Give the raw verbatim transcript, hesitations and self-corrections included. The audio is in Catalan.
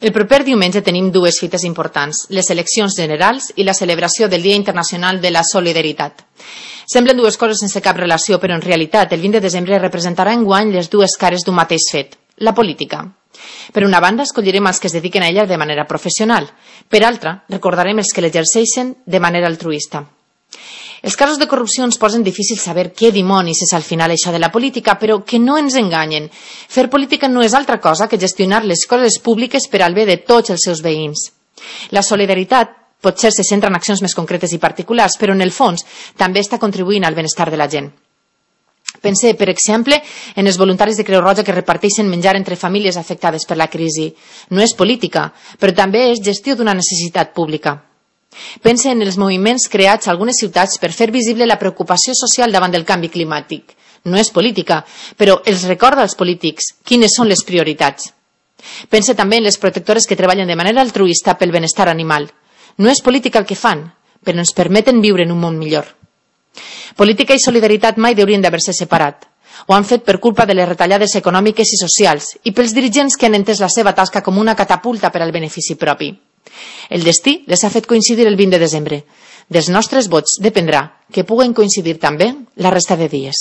El proper diumenge tenim dues fites importants, les eleccions generals i la celebració del Dia Internacional de la Solidaritat. Semblen dues coses sense cap relació, però en realitat el vint de desembre representarà enguany les dues cares d'un mateix fet, la política. Per una banda, escollirem els que es dediquen a ella de manera professional. Per altra, recordarem els que l'exerceixen de manera altruista. Els casos de corrupció ens posen difícil saber què dimonis és al final això de la política, però que no ens enganyen. Fer política no és altra cosa que gestionar les coses públiques per al bé de tots els seus veïns. La solidaritat potser se centra en accions més concretes i particulars, però en el fons també està contribuint al benestar de la gent. Pense, per exemple, en els voluntaris de Creu Roja que reparteixen menjar entre famílies afectades per la crisi. No és política, però també és gestió d'una necessitat pública. Pense en els moviments creats a algunes ciutats per fer visible la preocupació social davant del canvi climàtic. No és política, però els recorda als polítics quines són les prioritats. Pense també en les protectores que treballen de manera altruista pel benestar animal. No és política el que fan, però ens permeten viure en un món millor. Política i solidaritat mai haurien d'haver-se separat. Ho han fet per culpa de les retallades econòmiques i socials i pels dirigents que han entès la seva tasca com una catapulta per al benefici propi. El destí les ha fet coincidir el vint de desembre. Dels nostres vots dependrà que puguen coincidir també la resta de dies.